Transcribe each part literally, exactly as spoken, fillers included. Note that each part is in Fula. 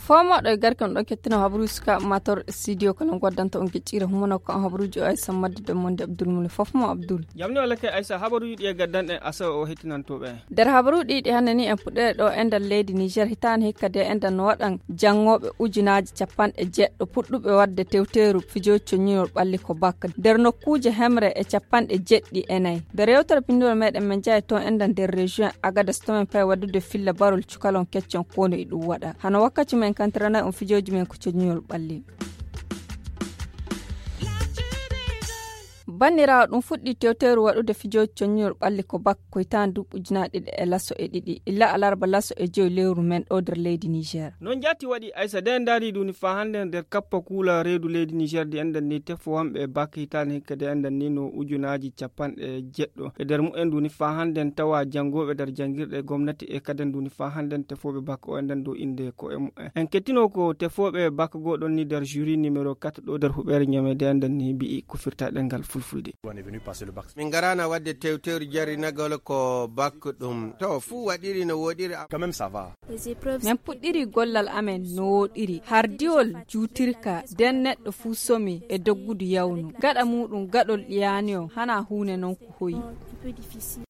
Foomoɗo e garke on ɗo kettino habaruuji sukaaɓe mator studio kono goddanta on geccire humano ko on habaruuji o aysa madde de monde abdoul mule fof mo abdoul. Jamni walla kay aysa habaruuji ɗi e gaddanɗe asa o hettinantoɓe. Nder habaruuji ɗi hannde ni en puɗɗere ɗo e nder leydi niger hitaande hikka de e nder no waɗan janngoɓe ujunaaji capanɗe jeɗɗo puɗɗuɓe waɗde tewteeru fijooji coññinol ɓalli ko bakka nder nokkuuje hemre e capanɗe jeɗɗi e nayi. Nder yewtere pinndol meɗen men jaye toon enda nder région agadas tomin payi waɗude filla barol cukalon keccon kono e ɗum waɗa hano wakkati men kantiranay on fijooji men ko coññinol ɓalli. Banniraawo ɗum fuɗɗi tewteeru waɗude fijooji coññinol ɓalli ko bak ko hitaande duuɓi ujunaaji ɗiɗi e laso e ɗiɗi illa alarba laso e joyi lewru men ɗo nder leydi niger. Noon jaati waɗi aysa de ndaari duni faa hannde nder kappa kuula reedu leydi niger di enɗan ni tefo wonɓe bak hitaande hikka de enɗan ni no ujunaaji capanɗe jeɗɗo e nder mumen duni faa hannde tawa janngooɓe nder janngirɗe gomnati e kaden duni faa hannde tefooɓe bak o enɗan dow innde ko e mumen en kettino ko tefooɓe bak goo ɗon ni nder juri numéro quatre ɗo nder huɓeere ñamede enɗan ni mbi'i ko firta ɗengal fulfulde. Min ngaraana waɗde tewteeru jarrinagol ko bak ɗum to fuu waɗiri no wooɗiri. Quand même ça va. Min puɗɗiri gollal amen no wooɗiri hardiwol juutirka nden neɗɗo fuu somi e doggudu yawnu gaɗa muuɗum gaɗol ɗiyaani o hana huunde non ko hoyi.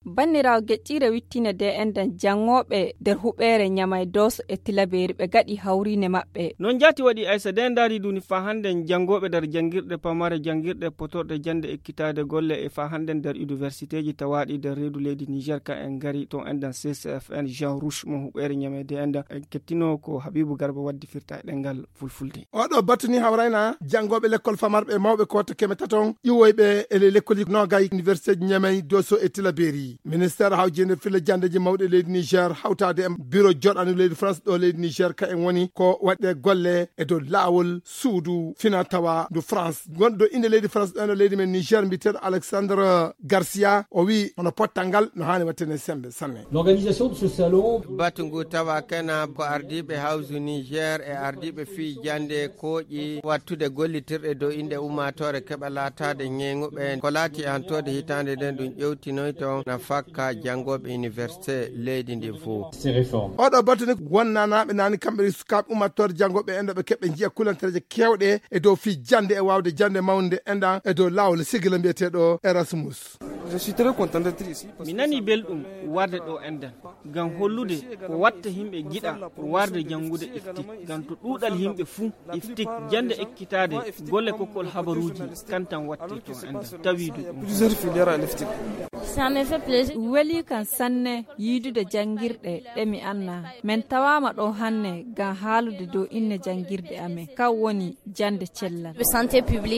Banniraawo geƴƴiire wittine de enɗan janngooɓe nder huɓeere ñamay dooso e tilabeeri ɓe gaɗi hawriine maɓɓe. Noon jaati waɗi aysa de ndaari duni faa hannde janngooɓe nder janngirɗe pamare janngirɗe potorɗe jannde ekkitaade golle e faa hannde nder universiteeji tawaaɗi nder reedu leydi niger ka en ngari toon enɗan ccfn jean rouche mo huɓeere ñamede enɗan en kettino ko habibu garba waddi firta e ɗengal fulfulde. Oɗo batu ni hawrayna janngooɓe lekkol famarɓe mawɓe ko to keme taton iwoyɓe e le lekkolji nogay universiteeji ñamay doso e tilabeeri. Ministeer hawjinde filla janndeeji mawɗi leydi niger hawtaade e biro joɗaandu leydi france ɗo leydi niger ka en woni ko waɗde golle e dow laawol suudu fina tawa ndu france gonɗo innde leydi france ɗo eno leydi men niger mbiyeteeɗo alexandre garcia o wi hono pottal ngal no haani waɗtene sembe sanne. L'organisation de ce salon. Batu ngu tawa kena ko ardiiɓe hawsu niger e ardiiɓe fii jannde kooƴi wattude gollitirɗe dow innde ummaatoore keɓa laataade ñeeŋuɓe ko laati e hantoode hitaande nden ɗum ƴewtinoyto na fakka janngooɓe université leydi ndin fof. Oɗo batu ni wonnanaaɓe naani kamɓe sukaaɓe ummaatoore janngooɓe enɗan ɓe keɓɓe njiya kulantereeje keewɗe e dow fii jannde e waawde jannde mawnde enɗan e dow laawol sigila mbiyeteeɗo erasmus. Mi nanii belɗum warde ɗo enɗan ngam hollude ko watta yimɓe njiɗa warde janngude iftik ngam to ɗuuɗal yimɓe fuu iftik jannde ekkitaade golle kokkol habaruuji kantan watte to enɗan tawiidu ɗum. Weli kan sanne yiidude janngirɗe ɗe mi anna men tawaama ɗo hannde ngam haalude dow inne janngirde amen kan woni jannde cellal.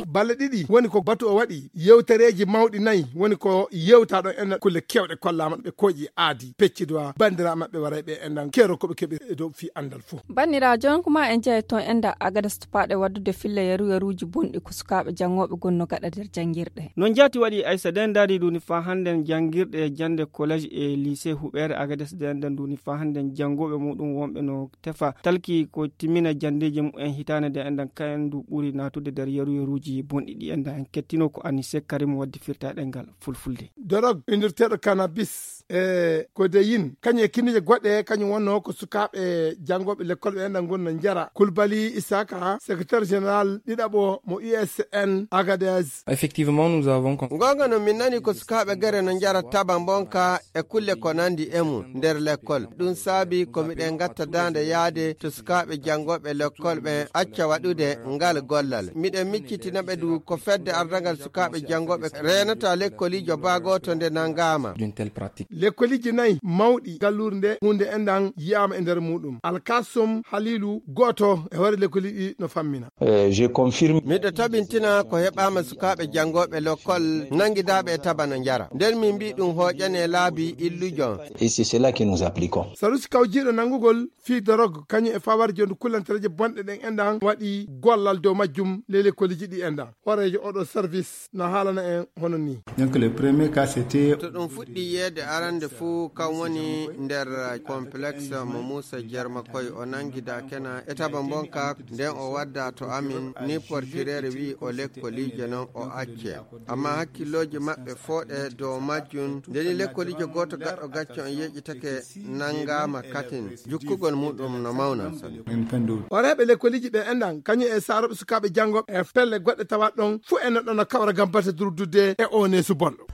Balle ɗiɗi woni ko batu o waɗi yewtereeji mawɗi nayi woni ko yewta ɗo enɗan kulle keewɗe kollaama ɓe kooƴi aadi pecciduwa banndiraaɓe maɓɓe warayɓe enɗan keero ko ɓe keɓi e dow fii anndal fof. Banndiraaɓe jooni kuma en jeya toon enɗan agadas tupaaɗe waɗdude filla yaru yaruuji bonɗi ko sukaaɓe janngooɓe gonno gaɗa nder janngirɗe. No njaati waɗi aysa de ndaari duni faa hannden janngirɗe jannde collège e lycée huɓeere agades de enɗan duni faa hannden janngooɓe muɗum wonɓe no tefa talki ko timmina janndeeji mumen hitaande de enɗan kayen ndu ɓuri naatude nder yaru yaruuji bonɗi ɗi enɗan en kettino ko anise karim waddi firta ɗengal fulfulde. Dorog inndirteeɗo cannabis e codeine kañum e kinije goɗɗe kañum wonno ko sukaaɓe janngooɓe lekkol ɓe enɗan gonno njara kulbali isaka secrétaire général ɗiɗaɓo mo usn agades. Effectivement nous avons con- Gonga no min nani ko sukaaɓe gere no njara taba mbonka e kulle ko nandi e mum nder lekkol. Ɗum saabi ko miɗen ngatta daande yaade to sukaaɓe janngooɓe lekkol ɓen acca waɗude ngal gollal. Miɗen miccitina ɓe du ko fedde ardangal sukaaɓe janngooɓe reenata lekkoliijo baa gooto nde nanngaama. D'une telle pratique. Lekkoliiji nayi mawɗi galluure nde huunde enɗan yi'aama e nder muɗum. Alkasum Haliilu gooto e hoore lekkoliiji ɗi no fammina. Eh, je confirme. Miɗo tabintina ko heɓaama sukaaɓe janngooɓe lekkol nanngidaaɓe e taba no njara. Nden Min mbi ɗum hooƴane laabi illujo. Et c'est cela que nous appliquons. Salusi kawjiiɗo nanngugol fii dorog, kañum e fawarjo ndu kullantereeje bonɗe ɗen enɗan waɗi gollal dow majjum ley lekkoliji ɗi enɗan. Hooreejo oɗo service na haalana en hono ni. Donc, le premier cas, c'était to ɗum fuɗɗi yeede arande fuu, kan woni nder complexe mo Muusa Jerma Koy. O nangida kena e taba bonka, nden o wadda to amin, ni portirere wi o lekkoliije non o acce. Amma hakkillooji maɓɓe fooɗe dow majjum. Ndeni lekkoliije gooto gaɗɗo gacce on yeƴitake nangama katin. Jukkugol muɗum no mawna sani. Horeeɓe lekkoliiji ɓe enɗan, kañum e saarooɓe sukaaɓe janngo e pelle goɗɗe tawa ɗon, fuu en ɗon no kawra ngam batte durdude e oo neesu bonɗo.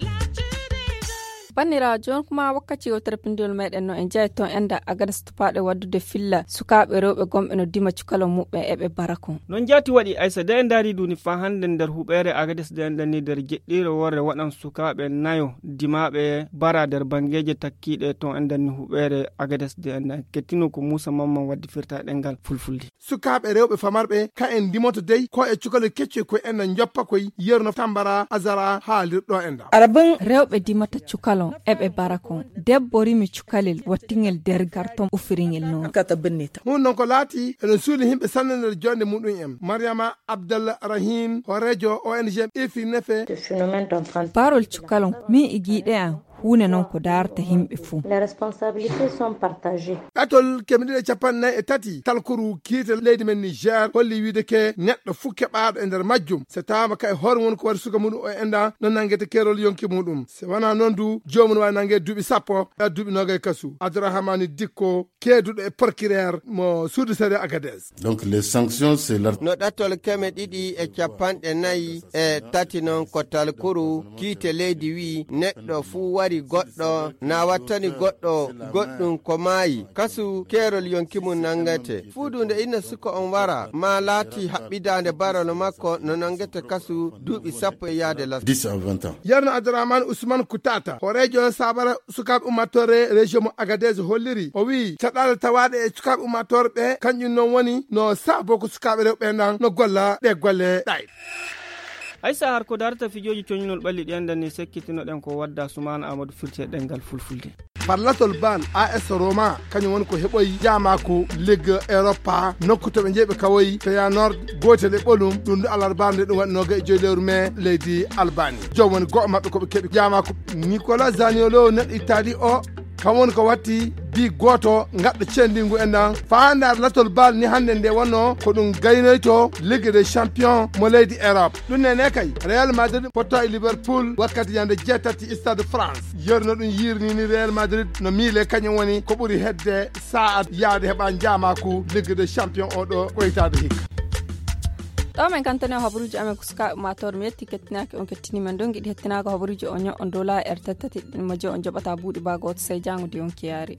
Banniraawo, jooni kuma wakkati o terpindiwol meɗen no en jeyi toon enɗan Agades tupaaɗe waddude filla sukaaɓe rewɓe gonɓe no dima cukalon muɓɓen eɓe bara kon. Non jaati waɗi, Aysa, de en ndaari duni faa hannde nder huɓeere Agades de enɗan ni nder jeɗɗiire worre waɗan sukaaɓe nayo dimaaɓe bara nder banngeeje takkiiɗe toon enɗan ni huɓeere Agades de enɗan kettino ko Muusa Mamman waddi firta ɗemngal fulfulde. Sukaaɓe rewɓe famarɓe, ka en ndimoto dey, ko e cukalel keccoy koy en na njoppa koy yerno Tambara Azara haalirɗo en ɗa. Arabin rewɓe dimata cukalon, eɓe bara kon. Debbo rimi cukalel, wattingel der garton, ufiringel noon. Kata bennita. Hun non ko laati, eɗen suuli yimɓe sanne nder jonde muɗum en. Mariama Abdallah Rahim, hooreejo O N G Ifri Nefe. Barol cukalon, min igiiɗe an. Huunde non ko daarata yimɓe fuu. Les responsabilités sont partagées. Ɗatol keme ɗiɗi e capanɗe nayi e tati talkuru kiite leydi men Niger holli wiide ke neɗɗo fuu keɓaaɗo e nder majjum, so tawaama ka e hoore mum ko waɗi suka muɗum o enɗa, no nanngete keerol yonki muɗum. So wanaa non du, joomum no waawi nannge duuɓi sappo, haa duuɓi noogay kasu. Abdourahmane Dikko, keeduɗo e procureur mo suudu sariya Agadez. Donc, les sanctions, c'est l'art- No ɗatol keme ɗiɗi e capanɗe nayi e tati non ko talkuru kiite leydi wi neɗɗo fuu wari goɗɗo, na wattani goɗɗo goɗɗum ko maayi, kasu keerol yonki mum nanngete. Fuu du nde inna suka on wara, ma laati haɓɓidaande barol makko no nanngete kasu duuɓi sappo e yaade las. Dix à vingt ans. Yerno Abdourahmane Ousmane Koutata, hooreejo saabara sukaaɓe ummatore région mo Agadez holliri. O wi'i caɗaale tawaaɗe e sukaaɓe ummatore ɓe, kanƴum non woni no saabo ko sukaaɓe rewɓe nan no golla ɗe golle ɗayɗe. Haysa har ko darata fijooji coñinol ɓalli ɗi enɗan ni sekkitinoɗen ko wadda Sumaana Amadou firti e ɗemngal fulfulde. Parlatol bal A S Roma, kañum woni ko heɓoyi jaamaaku Ligue Europa, nokku to ɓe njeyi ɓe kawoyi Feyenoord, gootel e ɓolum, ɗum ɗo alarba nde ɗum waɗi noogay e joyi lewru mee leydi Albani. Joom woni go'o maɓɓe ko ɓe keɓi jaamaaku. Nicolas Zaniolo, neɗɗo Itali o, kam woni ko watti bi gooto ngaɗɗo cendingu en ɗan. Faandaare latol bal ni hannde nde wonno ko ɗum gaynoyto Ligue des Champions mo leydi Europe. Ɗum nene kay, Real Madrid potto e Liverpool wakkati ñande jeetati Stade France. Yerno ɗum yirni ni Real Madrid no miile kañum woni ko ɓuri hedde sa'a yaade heɓa jaamaaku Ligue des Champions o ɗo ko hitaade hikka. Ɗo men kantani o habaruuji amen ko sukaaɓe ummaatoore. Mi yetti kettinaaki on kettini men. Ɗon giɗi hettinaaka habaruuji o ño'on dola er tettati ɗin mo je on joɓata buuɗi baa gooto sey jaango de on kiyaari.